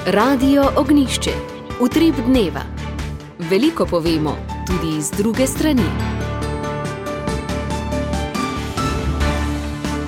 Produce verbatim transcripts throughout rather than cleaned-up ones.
Radio Ognišče, utrip dneva. Veliko povemo, tudi z druge strani.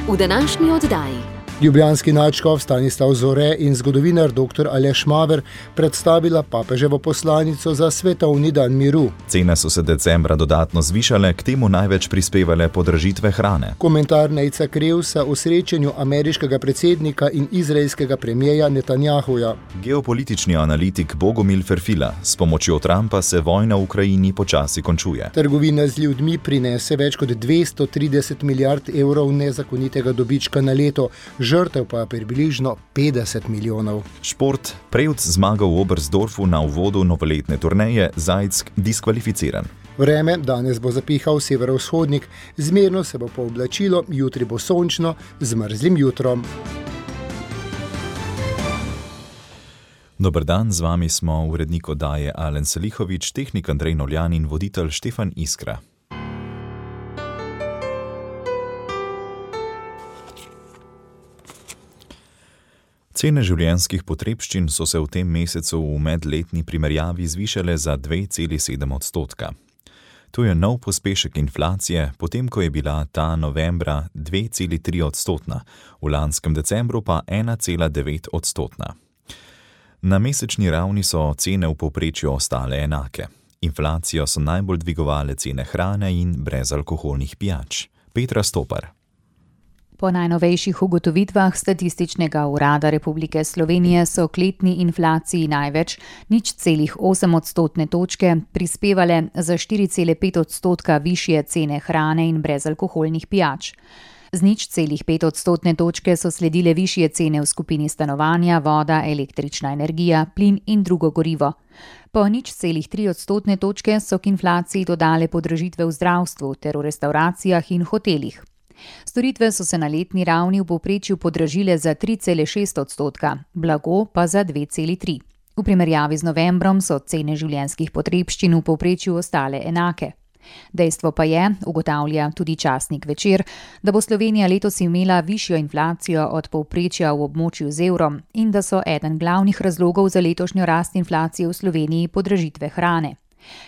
V današnji oddaji ljubljanski nadškof Stanislav Zore in zgodovinar doktor Aleš Maver predstavila papeževo poslanico za svetovni dan miru. Cene so se decembra dodatno zvišale, k temu največ prispevale podražitve hrane. Komentar Nejca Krevsa o srečanju ameriškega predsednika in izraelskega premijeja Netanjahuja. Geopolitični analitik Bogomil Ferfila: s pomočjo Trumpa se vojna v Ukrajini počasi končuje. Trgovina z ljudmi prinese več kot dvesto trideset milijard evrov nezakonitega dobička na leto, žrtev pa približno petdeset milijonov. Šport. Prevc zmaga v Oberstdorfu na uvodu novoletne turneje, Zajec diskvalificiran. Vreme, danes bo zapihal severovzhodnik, zmerno se bo pooblačilo, jutri bo sončno, z mrzlim jutrom. Dober dan, z vami smo urednik oddaje Alen Selihovič, tehnik Andrej Novljan in voditelj Štefan Iskra. Cene življenjskih potrebščin so se v tem mesecu v medletni primerjavi zvišale za dve celi sedem odstotka. To je nov pospešek inflacije, potem ko je bila ta novembra dve celi tri odstotna, v lanskem decembru pa ena cela devet odstotna. Na mesečni ravni so cene v povprečju ostale enake. Inflacijo so najbolj dvigovale cene hrane in brezalkoholnih pijač. Petra Stopar. Po najnovejših ugotovitvah Statističnega urada Republike Slovenije so k letni inflaciji največ, nič celih osem odstotne točke, prispevale za štiri cele pet odstotka višje cene hrane in brezalkoholnih pijač. Z nič celih pet odstotne točke so sledile višje cene v skupini stanovanja, voda, električna energija, plin in drugo gorivo. Po nič celih tri odstotne točke so k inflaciji dodale podražitve v zdravstvu ter v restavracijah in hotelih. Storitve so se na letni ravni v povprečju podražile za tri cele šest odstotka, blago pa za dve celi tri. V primerjavi z novembrom so cene življenjskih potrebščin v povprečju ostale enake. Dejstvo pa je, ugotavlja tudi časnik Večer, da bo Slovenija letos imela višjo inflacijo od povprečja v območju z evrom in da so eden glavnih razlogov za letošnjo rast inflacije v Sloveniji podražitve hrane.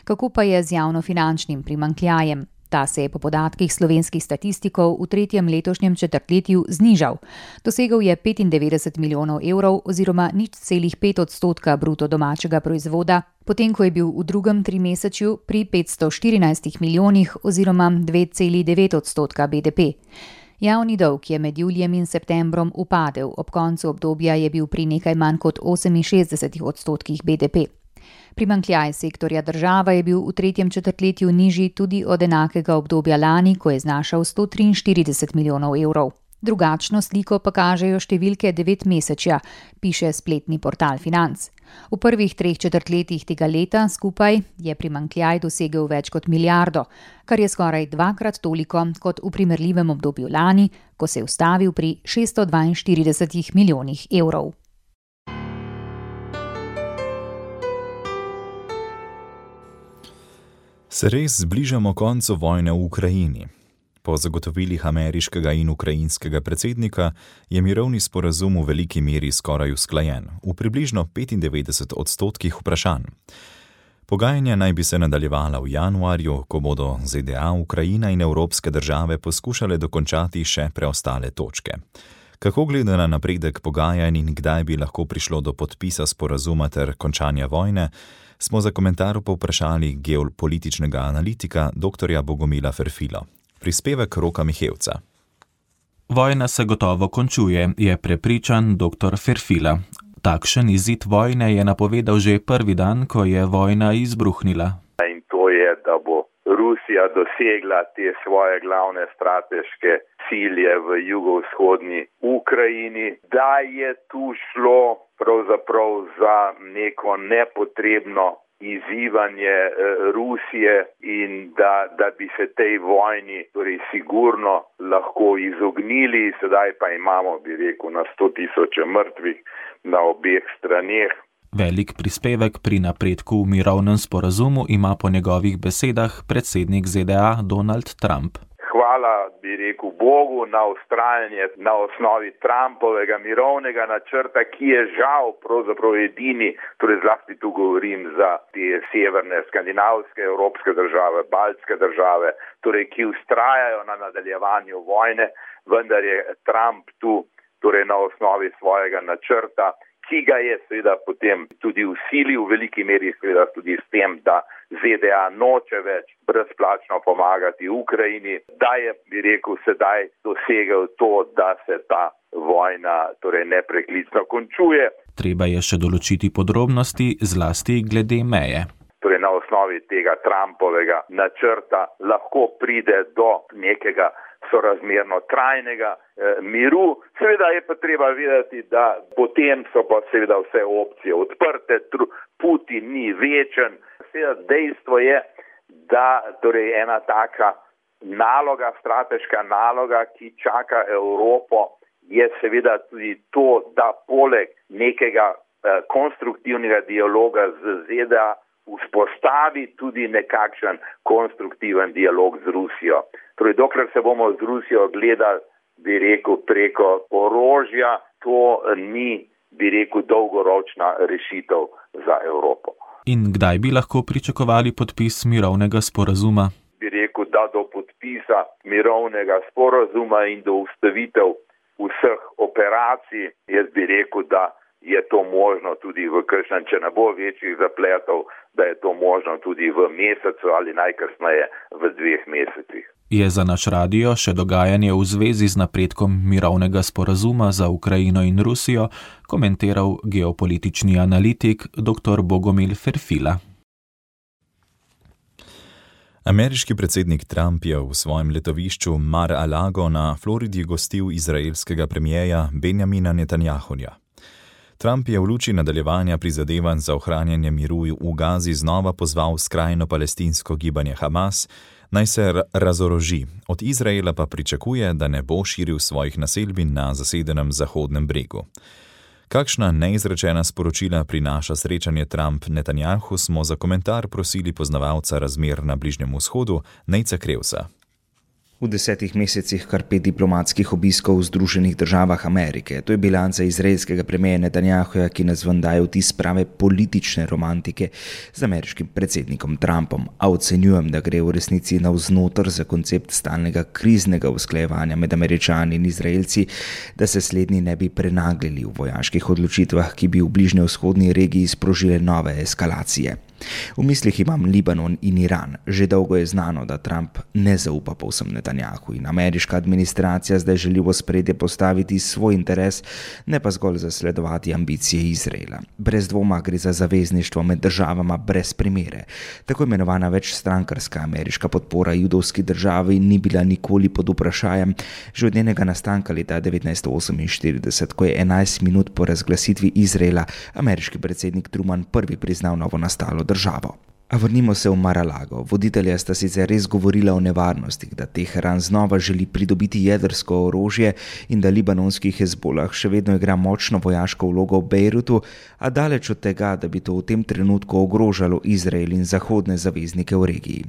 Kako pa je z javnofinančnim primanjkljajem? Ta se je po podatkih slovenskih statistikov v tretjem letošnjem četrtletju znižal. Dosegel je petindevetdeset milijonov evrov oziroma nič celih pet odstotka bruto domačega proizvoda, potem ko je bil v drugem trimesečju pri petsto štirinajstih milijonih oziroma dve celi devet odstotka B D P. Javni dolg je med julijem in septembrom upadel, ob koncu obdobja je bil pri nekaj manj kot oseminšestdesetih odstotkih B D P. Primanjkljaj sektorja država je bil v tretjem četrtletju nižji tudi od enakega obdobja lani, ko je znašal sto triinštirideset milijonov evrov. Drugačno sliko pa kažejo številke devetmesečja, piše spletni portal Financ. V prvih treh četrtletjih tega leta skupaj je primanjkljaj dosegel več kot milijardo, kar je skoraj dvakrat toliko kot v primerljivem obdobju lani, ko se je ustavil pri šeststo dvainštiridesetih milijonih evrov. Se res zbližamo koncu vojne v Ukrajini. Po zagotovilih ameriškega in ukrajinskega predsednika je mirovni sporazum v veliki meri skoraj usklajen, v približno petindevetdeset odstotkih vprašanj. Pogajanja naj bi se nadaljevala v januarju, ko bodo Z D A, Ukrajina in evropske države poskušale dokončati še preostale točke. Kako gleda na napredek pogajanj in kdaj bi lahko prišlo do podpisa sporazuma ter končanja vojne, smo za komentar povprašali geopolitičnega analitika doktorja Bogomila Ferfila. Prispevek Roka Mihevca. Vojna se gotovo končuje, je prepričan doktor Ferfila. Takšen izid vojne je napovedal že prvi dan, ko je vojna izbruhnila. In to je, da bo Rusija dosegla te svoje glavne strateške cilje v jugovzhodni Ukrajini, da je tu šlo pravzaprav za neko nepotrebno izzivanje Rusije in da, da bi se tej vojni torej sigurno lahko izognili. Sedaj pa imamo, bi rekel, na sto tisoče mrtvih na obeh straneh. Velik prispevek pri napredku v mirovnem sporazumu ima po njegovih besedah predsednik Z D A Donald Trump. Hvala bi rekel, Bogu na ustrajanje na osnovi Trumpovega mirovnega načrta, ki je žal pravzaprav edini, torej zlasti tu govorim za te severne, skandinavske, evropske države, baltske države, torej ki ustrajajo na nadaljevanju vojne, vendar je Trump tu torej na osnovi svojega načrta, ki ga je seveda potem tudi vsilil v veliki meri seveda tudi s tem, da Z D A noče več brezplačno pomagati Ukrajini, da je, bi rekel, sedaj dosegel to, da se ta vojna torej nepreklicno končuje. Treba je še določiti podrobnosti, zlasti glede meje. Torej na osnovi tega Trumpovega načrta lahko pride do nekega sorazmerno trajnega eh, miru. Seveda je pa treba vedeti, da potem so pa seveda vse opcije odprte, Putin ni večen. Seveda dejstvo je, da torej ena taka naloga, strateška naloga, ki čaka Evropo, je seveda tudi to, da poleg nekega eh, konstruktivnega dialoga z Z D A vzpostavi tudi nekakšen konstruktiven dialog z Rusijo. Torej, dokler se bomo z Rusijo gledali, bi rekel, preko orožja, to ni, bi rekel, dolgoročna rešitev za Evropo. In kdaj bi lahko pričakovali podpis mirovnega sporazuma? Bi rekel, da do podpisa mirovnega sporazuma in do ustavitev vseh operacij, jaz bi rekel, da je to možno tudi v kakšnem, če ne bo večjih zapletov, da je to možno tudi v mesecu ali najkasneje v dveh mesecih. Je za naš radio še dogajanje v zvezi z napredkom mirovnega sporazuma za Ukrajino in Rusijo komentiral geopolitični analitik dr. Bogomil Ferfila. Ameriški predsednik Trump je v svojem letovišču Mar-a-Lago na Floridi gostil izraelskega premierja Benjamina Netanjahuja. Trump je v luči nadaljevanja prizadevanj za ohranjanje miru v Gazi znova pozval skrajno palestinsko gibanje Hamas, naj se razoroži. Od Izraela pa pričakuje, da ne bo širil svojih naselbin na zasedenem Zahodnem bregu. Kakšna neizrečena sporočila prinaša srečanje Trump-Netanjahu, smo za komentar prosili poznavalca razmer na Bližnjem vzhodu, Nejca Krevsa. V desetih mesecih kar pet diplomatskih obiskov v Združenih državah Amerike. To je bilanca izraelskega premierja Netanjahuja, ki nas ven daje vtis prave politične romantike z ameriškim predsednikom Trumpom. A ocenjujem, da gre v resnici navznoter za koncept stalnega kriznega usklajevanja med Američani in Izraelci, da se slednji ne bi prenaglili v vojaških odločitvah, ki bi v bližnjevzhodni regiji sprožile nove eskalacije. V mislih imam Libanon in Iran. Že dolgo je znano, da Trump ne zaupa povsem Netanjahu in ameriška administracija zdaj želi v ospredje postaviti svoj interes, ne pa zgolj zasledovati ambicije Izraela. Brez dvoma gre za zavezništvo med državama brez primere. Tako imenovana večstrankarska ameriška podpora judovski državi ni bila nikoli pod vprašajem, že od njenega nastanka leta devetnajststo oseminštirideset, ko je enajst minut po razglasitvi Izraela ameriški predsednik Truman prvi priznal novo nastalo državo. A vrnimo se v Mar-a-Lago. Voditelja sta sicer res govorila o nevarnostih, da Teheran znova želi pridobiti jedrsko orožje in da libanonski Hezbolah še vedno igra močno vojaško vlogo v Bejrutu, a daleč od tega, da bi to v tem trenutku ogrožalo Izrael in zahodne zaveznike v regiji.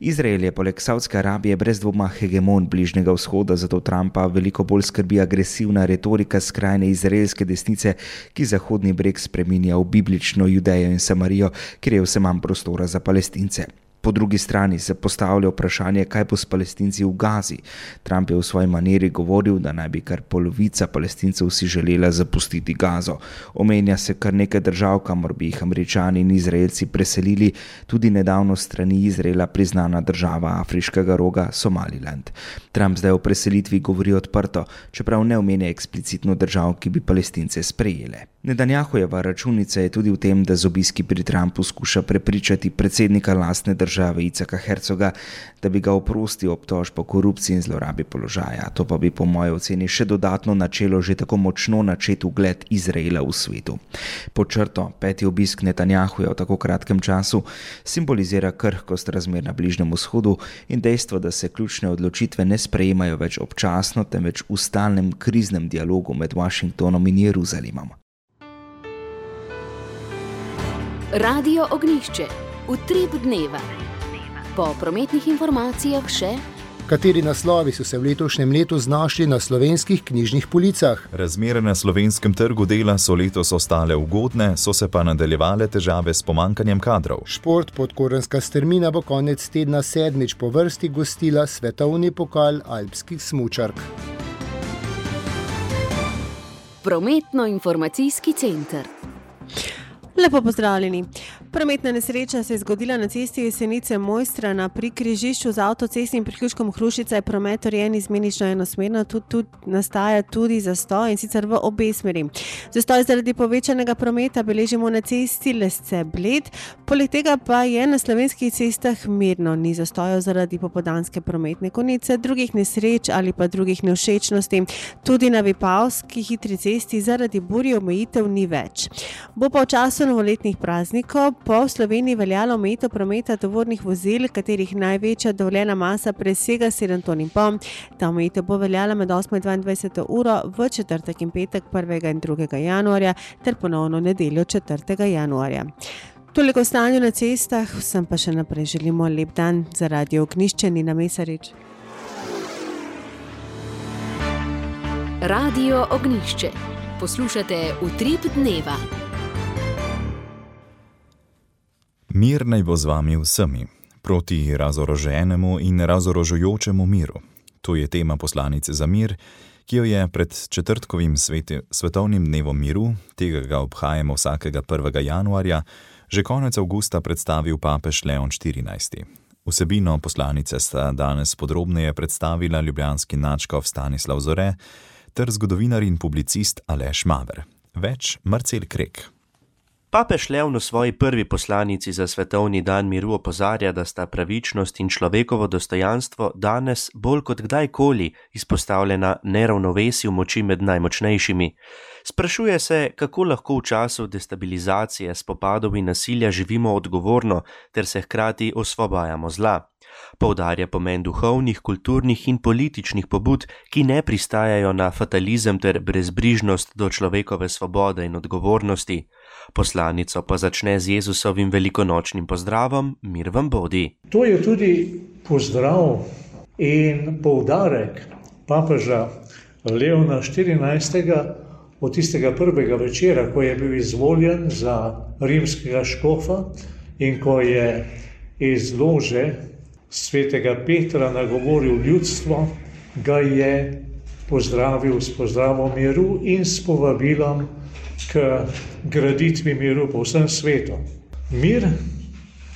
Izrael je poleg Savdske Arabije brez dvoma hegemon Bližnjega vzhoda, zato Trumpa veliko bolj skrbi agresivna retorika skrajne izraelske desnice, ki Zahodni breg spreminja v biblično Judejo in Samarijo, kjer je vse manj prostora za Palestince. Po drugi strani se postavlja vprašanje, kaj bo s Palestinci v Gazi. Trump je v svoji maniri govoril, da naj bi kar polovica Palestincev si želela zapustiti Gazo. Omenja se kar nekaj držav, kamor bi jih Američani in Izraelci preselili, tudi nedavno strani Izraela priznana država Afriškega roga Somaliland. Trump zdaj o preselitvi govori odprto, čeprav ne omenja eksplicitno držav, ki bi Palestince sprejele. Netanjahujeva računica je tudi v tem, da z obiski pri Trumpu skuša prepričati predsednika lastne države Icaka Herzoga, da bi ga oprostil obtožb o korupciji in zlorabi položaja. To pa bi po moji oceni še dodatno načelo že tako močno načet ugled Izraela v svetu. Pod črto, peti obisk Netanjahuja v tako kratkem času simbolizira krhkost razmer na Bližnjem vzhodu in dejstvo, da se ključne odločitve ne sprejemajo več občasno, temveč v stalnem kriznem dialogu med Washingtonom in Jeruzalemom. Radio Ognjišče, utrip dneva. Po prometnih informacijah še Kateri naslovi so se v letošnjem letu znašli na slovenskih knjižnih policah? Razmere na slovenskem trgu dela so letos ostale ugodne, so se pa nadaljevale težave s pomankanjem kadrov. Šport Podkorenska strmina bo konec tedna sedmič po vrsti gostila svetovni pokal alpskih smučark. Prometno-informacijski center. Lepo pozdravljeni. Prometna nesreča se je zgodila na cesti Jesenice Mojstrana pri križišču z avtocestnim priključkom Hrušica. Je promet urejen izmenično enosmerno, tudi, tudi nastaja tudi zastoj in sicer v obe smeri. Zastoj zaradi povečanega prometa beležimo na cesti Lesce-Bled, poleg tega pa je na slovenskih cestah mirno, ni zastojev zaradi popoldanske prometne konice, drugih nesreč ali pa drugih nevšečnosti. Tudi na Vipavski hitri cesti zaradi burje omejitev ni več. Bo pa v času novoletnih praznikov po Sloveniji veljalo omejitev prometa tovornih vozil, katerih največja dovoljena masa presega sedem ton in pol. Ta omejitev bo veljala med osmo in dvaindvajseto uro v četrtek in petek prvega in drugega januarja ter ponovno nedeljo četrtega januarja. Toliko o stanju na cestah, vsem pa še naprej želimo lep dan. Za Radio Ognjišče Nina Mesarič. Radio Ognjišče. Poslušate Utrip dneva. Mir naj bo z vami vsemi, proti razoroženemu in razorožujočemu miru. To je tema poslanice za mir, ki jo je pred četrtkovim sveti, svetovnim dnevom miru, tega ga obhajamo vsakega prvega januarja, že konec avgusta predstavil papež Leon štirinajsti. Vsebino poslanice sta danes podrobneje predstavila ljubljanski nadškof Stanislav Zore ter zgodovinar in publicist Aleš Maver. Več Marcel Krek. Papež Leon v svoji prvi poslanici za svetovni dan miru opozarja, da sta pravičnost in človekovo dostojanstvo danes bolj kot kdajkoli izpostavljena neravnovesju moči med najmočnejšimi. Sprašuje se, kako lahko v času destabilizacije, spopadov in nasilja živimo odgovorno ter se hkrati osvobajamo zla. Poudarja pomen duhovnih, kulturnih in političnih pobud, ki ne pristajajo na fatalizem ter brezbrižnost do človekove svobode in odgovornosti. Poslanico pa začne z Jezusovim velikonočnim pozdravom: Mir vam bodi. To je tudi pozdrav in poudarek papeža Leona štirinajstega od tistega prvega večera, ko je bil izvoljen za rimskega škofa in ko je iz lože svetega Petra nagovoril ljudstvo, ga je pozdravil s pozdravom miru in s povabilom k graditvi miru po vsem svetu. Mir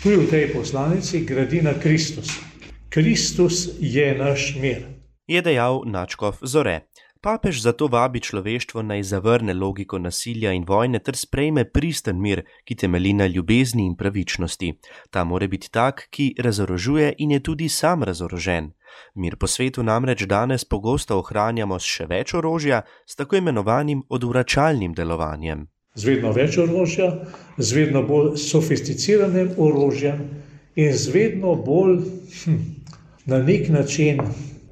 tudi v tej poslanici gradi na Kristusu. Kristus je naš mir. Je dejal nadškof Zore. Papež zato vabi človeštvo naj zavrne logiko nasilja in vojne ter sprejme pristen mir, ki temelji na ljubezni in pravičnosti. Ta mora biti tak, ki razorožuje in je tudi sam razorožen. Mir po svetu namreč danes pogosto ohranjamo s še več orožja, s tako imenovanim odvračalnim delovanjem. Z vedno več orožja, z vedno bolj sofisticiranim orožjem in z vedno bolj hm, na nek način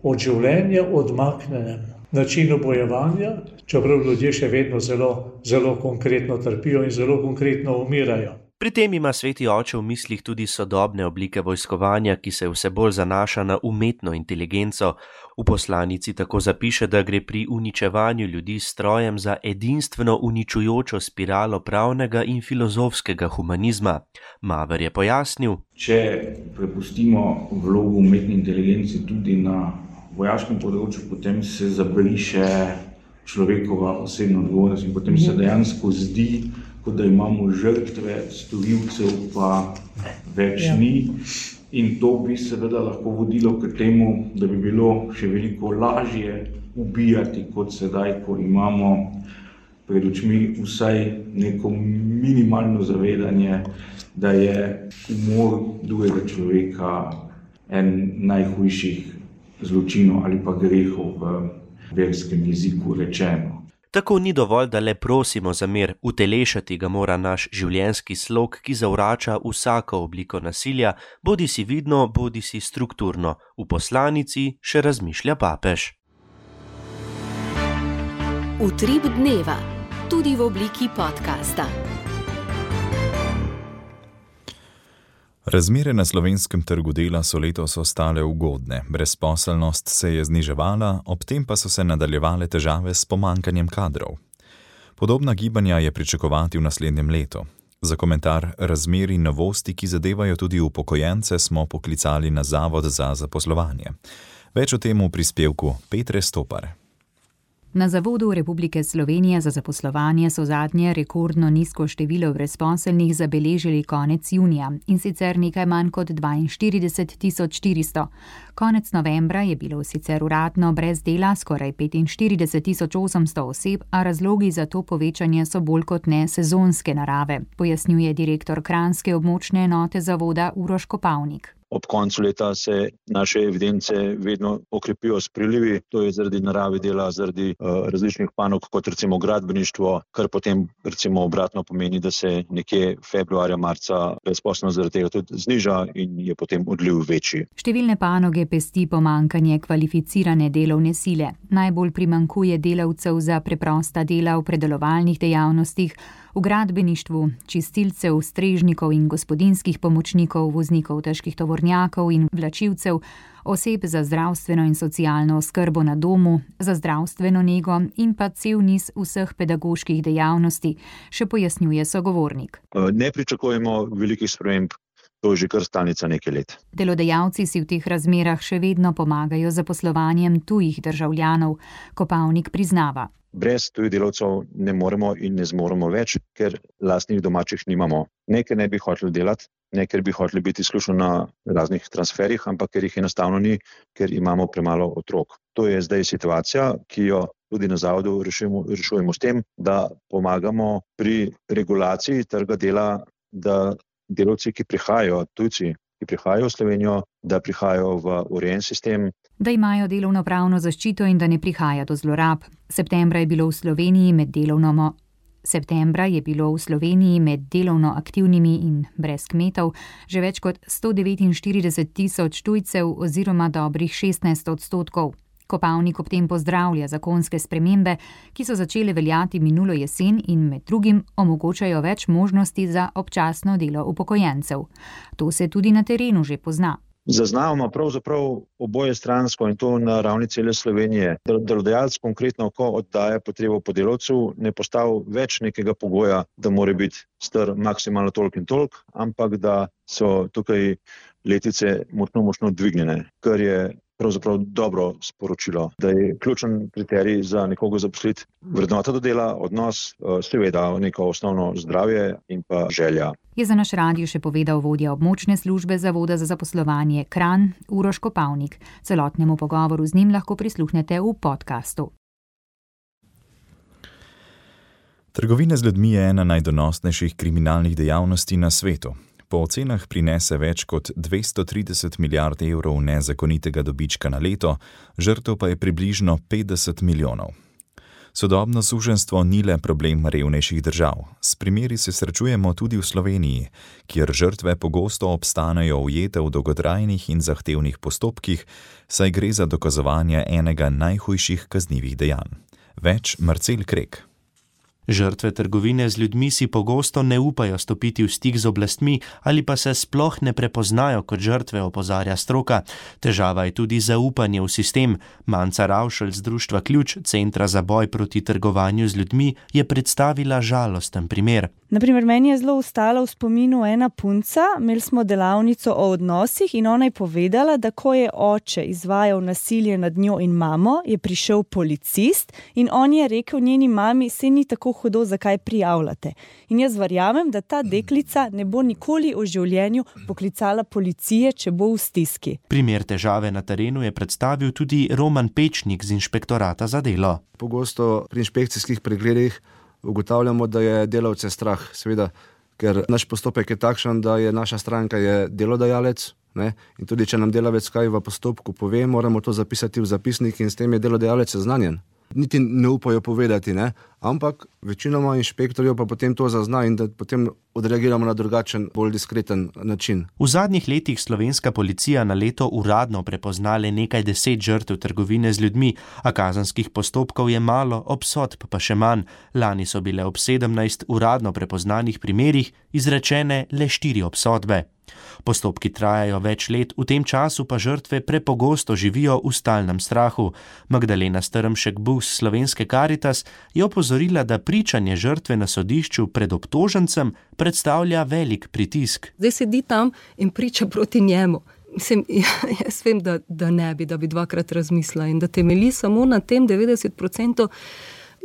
od življenja odmaknenem načinu bojevanja, čeprav ljudje še vedno zelo, zelo konkretno trpijo in zelo konkretno umirajo. Pri tem ima sveti oče v mislih tudi sodobne oblike vojskovanja, ki se vse bolj zanaša na umetno inteligenco. V poslanici tako zapiše, da gre pri uničevanju ljudi s strojem za edinstveno uničujočo spiralo pravnega in filozofskega humanizma. Maver je pojasnil: Če prepustimo vlogo umetne inteligence tudi na vojaškem področju, potem se zabriše človekova osebna odgovornost in potem se dejansko zdi, kot da imamo žrtve, storilcev pa več ja. ni. In to bi seveda lahko vodilo k temu, da bi bilo še veliko lažje ubijati kot sedaj, ko imamo pred očmi vsaj neko minimalno zavedanje, da je umor drugega človeka en najhujših zločinov ali pa grehov v verskem jeziku rečeno. Tako ni dovolj, da le prosimo za mir, utelešati ga mora naš življenjski slog, ki zavrača vsako obliko nasilja, bodi si vidno, bodi si strukturno. V poslanici še razmišlja papež. Utrip dneva, tudi v obliki podcasta. Razmere na slovenskem trgu dela so letos ostale ugodne, brezposelnost se je zniževala, ob tem pa so se nadaljevale težave s pomanjkanjem kadrov. Podobna gibanja je pričakovati v naslednjem letu. Za komentar razmer in novosti, ki zadevajo tudi upokojence, smo poklicali na Zavod za zaposlovanje. Več o tem v prispevku Petre Stopar. Na Zavodu Republike Slovenije za zaposlovanje so zadnje rekordno nizko število brezposelnih zabeležili konec junija, in sicer nekaj manj kot dvainštirideset tisoč štiristo. Konec novembra je bilo sicer uradno brez dela skoraj petinštirideset tisoč osemsto oseb, a razlogi za to povečanje so bolj kot ne sezonske narave, pojasnjuje direktor kranjske območne enote zavoda Uroš Kopavnik. Ob koncu leta se naše evidence vedno okrepijo s prilivi, to je zaradi narave dela, zaradi uh, različnih panog, kot recimo gradbeništvo, kar potem recimo obratno pomeni, da se nekje februarja, marca brezposelnost zaradi tega tudi zniža in je potem odliv večji. Številne panoge pesti pomanjkanje kvalificirane delovne sile. Najbolj primanjkuje delavcev za preprosta dela v predelovalnih dejavnostih, v gradbeništvu, čistilcev, strežnikov in gospodinjskih pomočnikov, voznikov težkih tovornjakov in vlačilcev, oseb za zdravstveno in socialno oskrbo na domu, za zdravstveno nego in pa cel niz vseh pedagoških dejavnosti, še pojasnjuje sogovornik. Ne pričakujemo velikih sprememb, to je že kar stalnica nekaj let. Delodajalci si v teh razmerah še vedno pomagajo z zaposlovanjem tujih državljanov, Kopavnik priznava. Brez tujih delavcev ne moremo in ne zmoremo več, ker lastnih domačih nimamo. Ne, ker ne bi hoteli delati, ne, ker bi hoteli biti izključno na raznih transferih, ampak ker jih enostavno ni, ker imamo premalo otrok. To je zdaj situacija, ki jo tudi na zavodu rešujemo, rešujemo s tem, da pomagamo pri regulaciji trga dela, da delavci, ki prihajajo, tujci, ki prihajajo v Slovenijo, da prihajajo v urejen sistem, da imajo delovnopravno zaščito in da ne prihaja do zlorab. Septembra je bilo v Sloveniji med delovno Septembra je bilo v Sloveniji med delovno aktivnimi in brez kmetov že več kot sto devetinštirideset tisoč tujcev oziroma dobrih šestnajst odstotkov. Kopavnik ob tem pozdravlja zakonske spremembe, ki so začele veljati minulo jesen in med drugim omogočajo več možnosti za občasno delo upokojencev. To se tudi na terenu že pozna. Zaznavamo pravzaprav oboje stransko in to na ravni cele Slovenije. Delodajalec konkretno, ko oddaja potrebo po delavcu, ne postavi več nekega pogoja, da mora biti star maksimalno toliko in toliko, ampak da so tukaj letice močno, močno dvignjene, kar je pravzaprav dobro sporočilo, da je ključen kriterij za nekoga zaposliti vrednota do dela, odnos, seveda neko osnovno zdravje in pa želja. Je za naš radio še povedal vodja območne službe Zavoda za zaposlovanje Kranj Uroš Kopavnik. Celotnemu pogovoru z njim lahko prisluhnete v podkastu. Trgovina z ljudmi je ena najdonosnejših kriminalnih dejavnosti na svetu. Po ocenah prinese več kot dvesto trideset milijard evrov nezakonitega dobička na leto, žrtev pa je približno petdeset milijonov. Sodobno suženjstvo ni le problem revnejših držav. S primeri se srečujemo tudi v Sloveniji, kjer žrtve pogosto obstanejo ujete v dolgotrajnih in zahtevnih postopkih, saj gre za dokazovanje enega najhujših kaznivih dejanj. Več Marcel Krek. Žrtve trgovine z ljudmi si pogosto ne upajo stopiti v stik z oblastmi ali pa se sploh ne prepoznajo kot žrtve, opozarja stroka. Težava je tudi zaupanje v sistem. Manca Ravšelj z društva Ključ, Centra za boj proti trgovanju z ljudmi, je predstavila žalosten primer. Naprimer, meni je zelo ostala v spominu ena punca, imeli smo delavnico o odnosih in ona je povedala, da ko je oče izvajal nasilje nad njo in mamo, je prišel policist in on je rekel njeni mami, se ni tako hudo, zakaj prijavljate. In jaz verjamem, da ta deklica ne bo nikoli v življenju poklicala policije, če bo v stiski. Primer težave na terenu je predstavil tudi Roman Pečnik z inšpektorata za delo. Pogosto pri inšpekcijskih pregledih ugotavljamo, da je delavce strah, seveda, ker naš postopek je takšen, da je naša stranka je delodajalec, ne? In tudi če nam delavec kaj v postopku pove, moramo to zapisati v zapisnik in s tem je delodajalec seznanjen. Niti ne upajo povedati, ne? Ampak večinoma inšpektorjev pa potem to zazna in da potem odreagiramo na drugačen, bolj diskreten način. V zadnjih letih slovenska policija na leto uradno prepozna le nekaj deset žrtev trgovine z ljudmi, a kazenskih postopkov je malo, obsodb pa še manj. Lani so bile ob sedemnajst uradno prepoznanih primerih izrečene le štiri obsodbe. Postopki trajajo več let, v tem času pa žrtve prepogosto živijo v stalnem strahu. Magdalena Strmšek-Buh z Slovenske Karitas je opozorila, da pričanje žrtve na sodišču pred obtožencem predstavlja velik pritisk. Zdaj sedi tam in priča proti njemu. Mislim, jaz vem, da, da ne bi, da bi dvakrat razmislila in da temelji samo na tem devetdeset procentov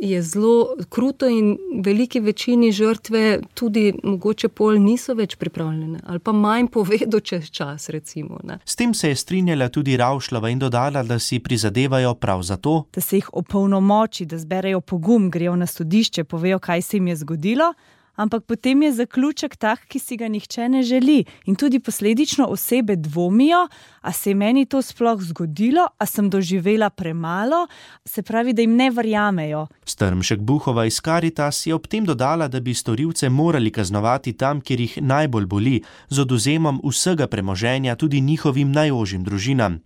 je zelo kruto in veliki večini žrtve tudi mogoče pol niso več pripravljene ali pa manj povedo čez čas, recimo. Ne. S tem se je strinjala tudi Ravšlova in dodala, da si prizadevajo prav za to, da se jih opolnomoči, da zberejo pogum, grejo na sodišče, povejo, kaj se jim je zgodilo, ampak potem je zaključek tak, ki si ga nihče ne želi in tudi posledično osebe dvomijo, a se je meni to sploh zgodilo, a sem doživela premalo, se pravi, da jim ne verjamejo. Strmšek-Buhova iz Karitas je ob tem dodala, da bi storilce morali kaznovati tam, kjer jih najbolj boli, z odvzemom vsega premoženja tudi njihovim najožjim družinam.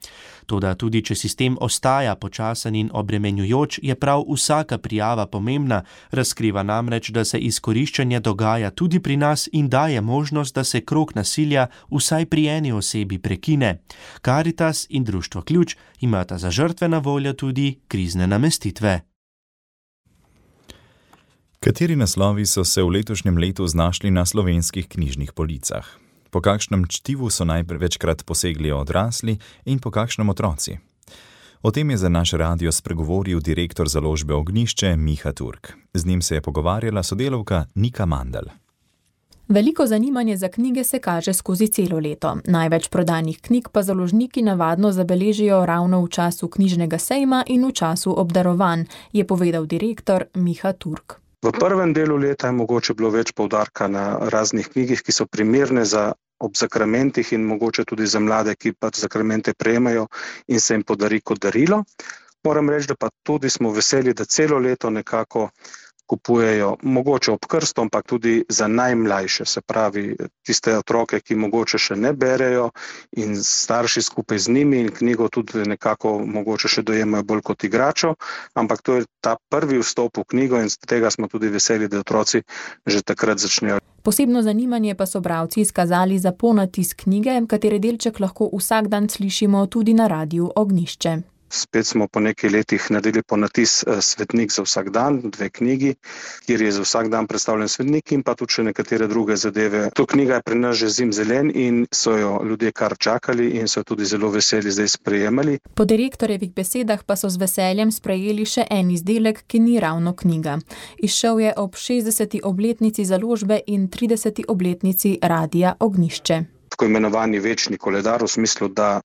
Toda tudi, če sistem ostaja počasen in obremenjujoč, je prav vsaka prijava pomembna, razkriva namreč, da se izkoriščanje dogaja tudi pri nas in daje možnost, da se krog nasilja vsaj pri eni osebi prekine. Karitas in Društvo Ključ imata za žrtve na voljo tudi krizne namestitve. Kateri naslovi so se v letošnjem letu znašli na slovenskih knjižnih policah? Po kakšnem čtivu so največkrat posegli odrasli in po kakšnem otroci? O tem je za naš radio spregovoril direktor založbe Ognjišče Miha Turk. Z njim se je pogovarjala sodelavka Nika Mandl. Veliko zanimanje za knjige se kaže skozi celo leto. Največ prodanih knjig pa založniki navadno zabeležijo ravno v času knjižnega sejma in v času obdarovanj, je povedal direktor Miha Turk. V prvem delu leta je mogoče bilo več poudarka na raznih knjigih, ki so primerne za ob zakramentih in mogoče tudi za mlade, ki pa zakramente prejemajo in se jim podari kot darilo. Moram reči, da pa tudi smo veseli, da celo leto nekako kupujejo, mogoče ob krstu, ampak tudi za najmlajše, se pravi tiste otroke, ki mogoče še ne berejo in starši skupaj z njimi in knjigo tudi nekako mogoče še dojemajo bolj kot igračo, ampak to je ta prvi vstop v knjigo in z tega smo tudi veseli, da otroci že takrat začnejo. Posebno zanimanje pa so bralci izkazali za ponatis knjige, katere delček lahko vsak dan slišimo tudi na radiu Ognjišče. Spet smo po nekaj letih naredili ponatis Svetnik za vsak dan, dve knjigi, kjer je za vsak dan predstavljen svetnik in pa tudi še nekatere druge zadeve. To knjiga je pri nas že zimzelen in so jo ljudje kar čakali in so tudi zelo veseli zdaj sprejemali. Po direktorjevih besedah pa so z veseljem sprejeli še en izdelek, ki ni ravno knjiga. Izšel je ob šestdeseti obletnici založbe in trideseti obletnici radia Ognjišče. Tako imenovani večni koledar, v smislu, da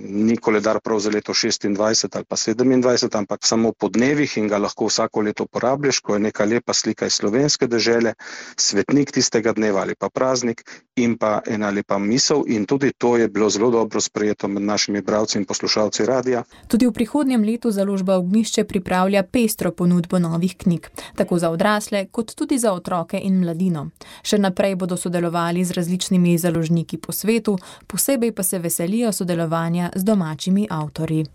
ni koledar prav za leto šestindvajset ali pa sedemindvajset, ampak samo po dnevih in ga lahko vsako leto uporabljaš, ko je neka lepa slika iz slovenske dežele, svetnik tistega dneva ali pa praznik in pa ena lepa misel in tudi to je bilo zelo dobro sprejeto med našimi bralci in poslušalci radia. Tudi v prihodnjem letu založba Ognjišče pripravlja pestro ponudbo novih knjig, tako za odrasle kot tudi za otroke in mladino. Še naprej bodo sodelovali z različnimi založniki po svetu, posebej pa se veselijo sodelovanja z domačimi avtorji.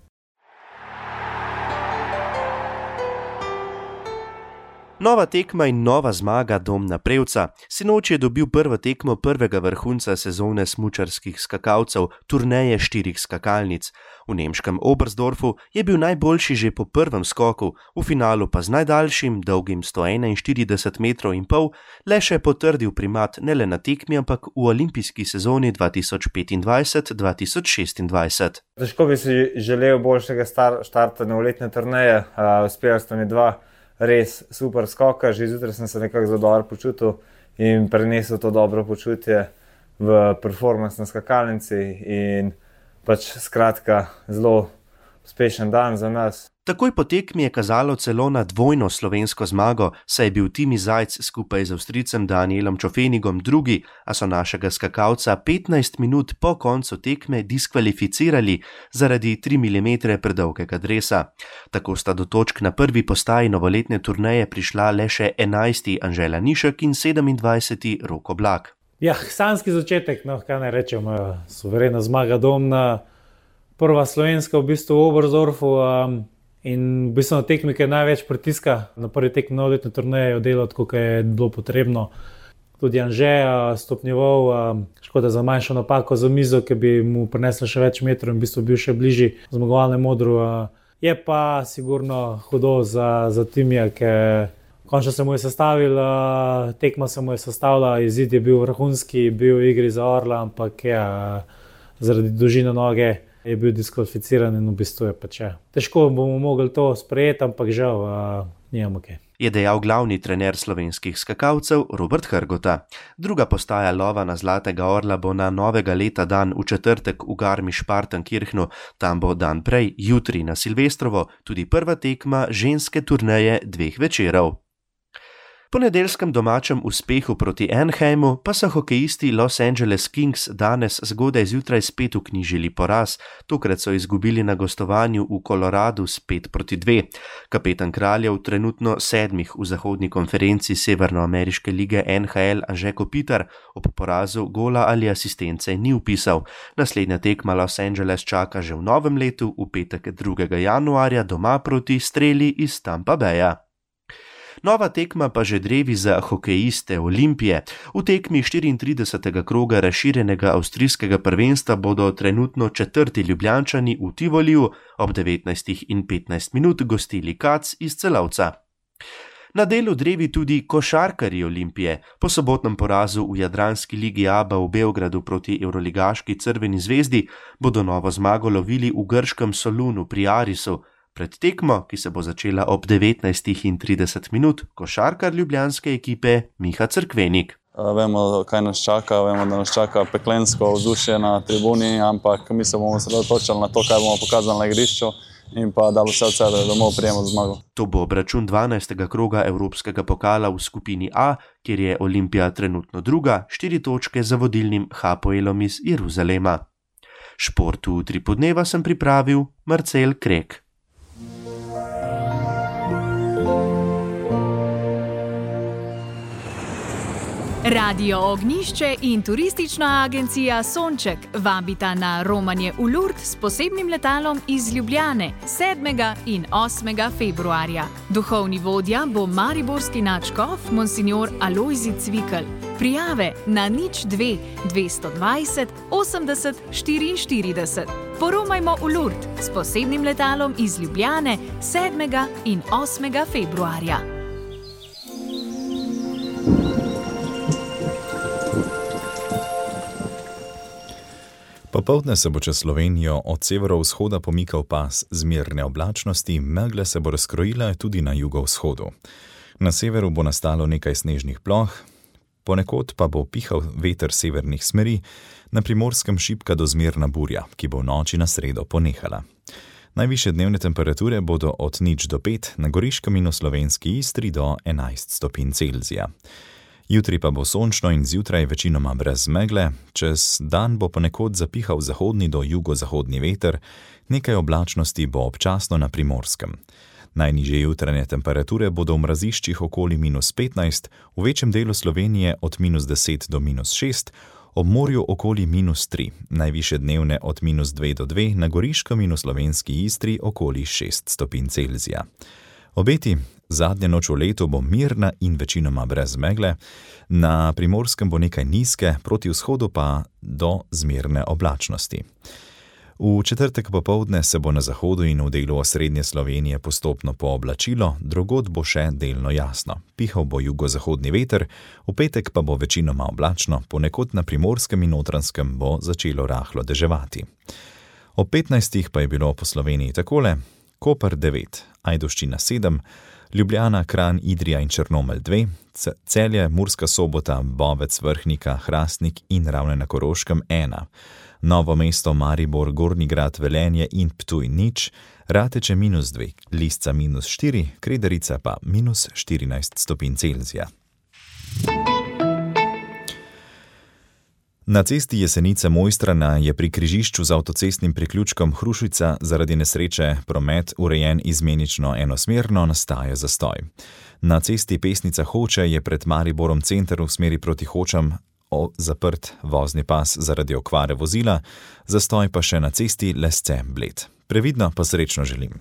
Nova tekma in nova zmaga Domna Prevca. Sinoči je dobil prvo tekmo prvega vrhunca sezone smučarskih skakalcev, turneje štirih skakalnic. V nemškem Oberstdorfu je bil najboljši že po prvem skoku, v finalu pa z najdaljšim, dolgim sto enainštirideset metrov in pol, le še potrdil primat ne le na tekmi, ampak v olimpijski sezoni dva tisoč petindvajset dva tisoč šestindvajset. Težko bi si želel boljšega star- štarta novoletne turneje, uh, uspela sta mi dva res super skoka, že zjutraj sem se nekako zelo dobro počutil in prenesel to dobro počutje v performance na skakalnici in pač skratka zelo uspešen dan za nas. Takoj po tekmi je kazalo celo na dvojno slovensko zmago, saj je bil Timi Zajc skupaj z Avstrijcem Danielom Čofenigom drugi, a so našega skakalca petnajst minut po koncu tekme diskvalificirali zaradi tri milimetre predolgega dresa. Tako sta do točk na prvi postaji novoletne turneje prišla le še enajsti Anžela Nišek in sedemindvajseti Rok Oblak. Ja, sanjski začetek, no, kaj naj rečem, suverena zmaga Domna, prva slovenska v bistvu v Oberstdorfu um, in v bistvu na tekmi, ki je največ pritiska, na prvi tekmi novoletne turneje je delal tako, kot je bilo potrebno. tudi Anže stopnjeval, škoda za manjšo napako za mizo, ki bi mu prinesla še več metrov in v bistvu bil še bližji zmagovalnemu modru. Je pa sigurno hudo za, za Timija, ker končno se mu je sestavil, tekma se mu je sestavila, izid je bil vrhunski, bil v igri za orla, ampak ja, zaradi dolžine noge je bil diskvalificiran in v bistvu je pač ja. Težko bomo mogli to sprejeti, ampak žal, nijamo kaj. Je dejal glavni trener slovenskih skakalcev Robert Hrgota. Druga postaja lova na Zlatega orla bo na novega leta dan v četrtek v Garmisch-Partenkirchnu, tam bo dan prej, jutri na Silvestrovo, tudi prva tekma ženske turneje dveh večerov. Po nedeljskem domačem uspehu proti Anaheimu pa so hokejisti Los Angeles Kings danes zgodaj zjutraj spet vknjižili poraz, tokrat so izgubili na gostovanju v Koloradu s pet proti dve. Kapetan kraljev, trenutno sedmih v zahodni konferenci Severnoameriške lige N H L Anže Kopitar, ob porazu gola ali asistence ni vpisal. Naslednja tekma Los Angeles čaka že v novem letu, v petek drugega januarja doma proti Streli iz Tampa Baya. Nova tekma pa že drevi za hokejiste Olimpije. V tekmi štiriintridesetega kroga razširjenega avstrijskega prvenstva bodo trenutno četrti Ljubljančani v Tivoliju ob devetnajstih in petnajst minut gostili Kac iz Celovca. Na delu drevi tudi košarkarji Olimpije. Po sobotnem porazu v Jadranski ligi A B A v Beogradu proti evroligaški Crveni zvezdi bodo novo zmago lovili v grškem Solunu pri Arisu. Pred tekmo, ki se bo začela ob devetnajstih in trideset minut, košarkar ljubljanske ekipe Miha Crkvenik. Vemo, kaj nas čaka, vemo, da nas čaka peklensko vzdušje na tribuni, ampak mi se bomo osredotočili na to, kaj bomo pokazali na igrišču in pa dali vse od sebe, da bomo prijemali zmago. To bo obračun dvanajstega kroga Evropskega pokala v skupini A, kjer je Olimpija trenutno druga, štiri točke za vodilnim Hapoelom iz Jeruzalema. Šport v Utripu dneva sem pripravil Marcel Krek. Radio Ognjišče in turistična agencija Sonček vabita na romanje v Lourdes s posebnim letalom iz Ljubljane sedmega in osmega februarja. Duhovni vodja bo mariborski nadškof monsignor Alojzij Cvikl. Prijave na nič dve dvesto dvajset osemdeset štiriinštirideset. Poromajmo v Lourdes s posebnim letalom iz Ljubljane sedmega in osmega februarja. Popoldne se bo čez Slovenijo od severovzhoda pomikal pas zmerne oblačnosti, megle se bo razkrojila tudi na jugovzhodu. Na severu bo nastalo nekaj snežnih ploh, ponekod pa bo pihal veter severnih smeri, na Primorskem šibka do zmerna burja, ki bo v noči na sredo ponehala. Najvišje dnevne temperature bodo od nič do pet, na Goriškem in v slovenski Istri do enajst stopinj Celzija. Jutri pa bo sončno in zjutraj večinoma brez megle, čez dan bo ponekod zapihal zahodni do jugozahodni veter, nekaj oblačnosti bo občasno na Primorskem. Najnižje jutranje temperature bodo v mraziščih okoli minus petnajst, v večjem delu Slovenije od minus deset do minus šest, ob morju okoli minus tri, najvišje dnevne od minus dve do dve, na Goriškem in v slovenski Istri okoli šest stopinj Celzija. Obeti, zadnja noč v letu bo mirna in večinoma brez megle, na Primorskem bo nekaj nizke, proti vzhodu pa do zmerne oblačnosti. V četrtek popoldne se bo na zahodu in v delu osrednje Slovenije postopno pooblačilo, drugod bo še delno jasno. Pihal bo jugozahodni veter, v petek pa bo večinoma oblačno, ponekod na Primorskem in Notranjskem bo začelo rahlo deževati. Ob petnajstih pa je bilo po Sloveniji takole: Koper devet, Ajdovščina sedem, Ljubljana, Kranj, Idrija in Črnomelj dve, Celje, Murska Sobota, Bovec, Vrhnika, Hrastnik in Ravne na Koroškem ena, Novo mesto, Maribor, Gornji Grad, Velenje in Ptuj nič, Rateče minus dve, Lisca minus štiri, Kredarica pa minus štirinajst stopinj Celzija. Na cesti Jesenice-Mojstrana je pri križišču z avtocestnim priključkom Hrušica zaradi nesreče promet urejen izmenično enosmerno, nastaja zastoj. Na cesti Pesnica-Hoče je pred Mariborom center v smeri proti Hočam zaprt vozni pas zaradi okvare vozila, zastoj pa še na cesti Lesce-Bled. Previdno pa srečno želim.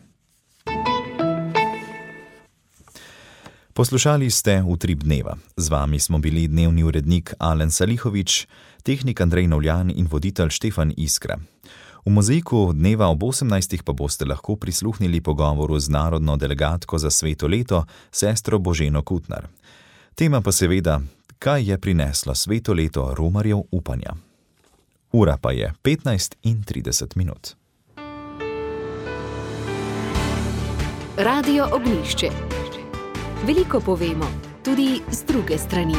Poslušali ste Utrip dneva. Z vami smo bili dnevni urednik Alen Salihovič, tehnik Andrej Novljan in voditelj Štefan Iskra. V mozaiku dneva ob osemnajstih pa boste lahko prisluhnili pogovoru z narodno delegatko za sveto leto, sestro Boženo Kutnar. Tema pa seveda, kaj je prineslo sveto leto romarjev upanja. Ura pa je petnajst in trideset minut. Radio Ognjišče. Veliko povemo, tudi z druge strani.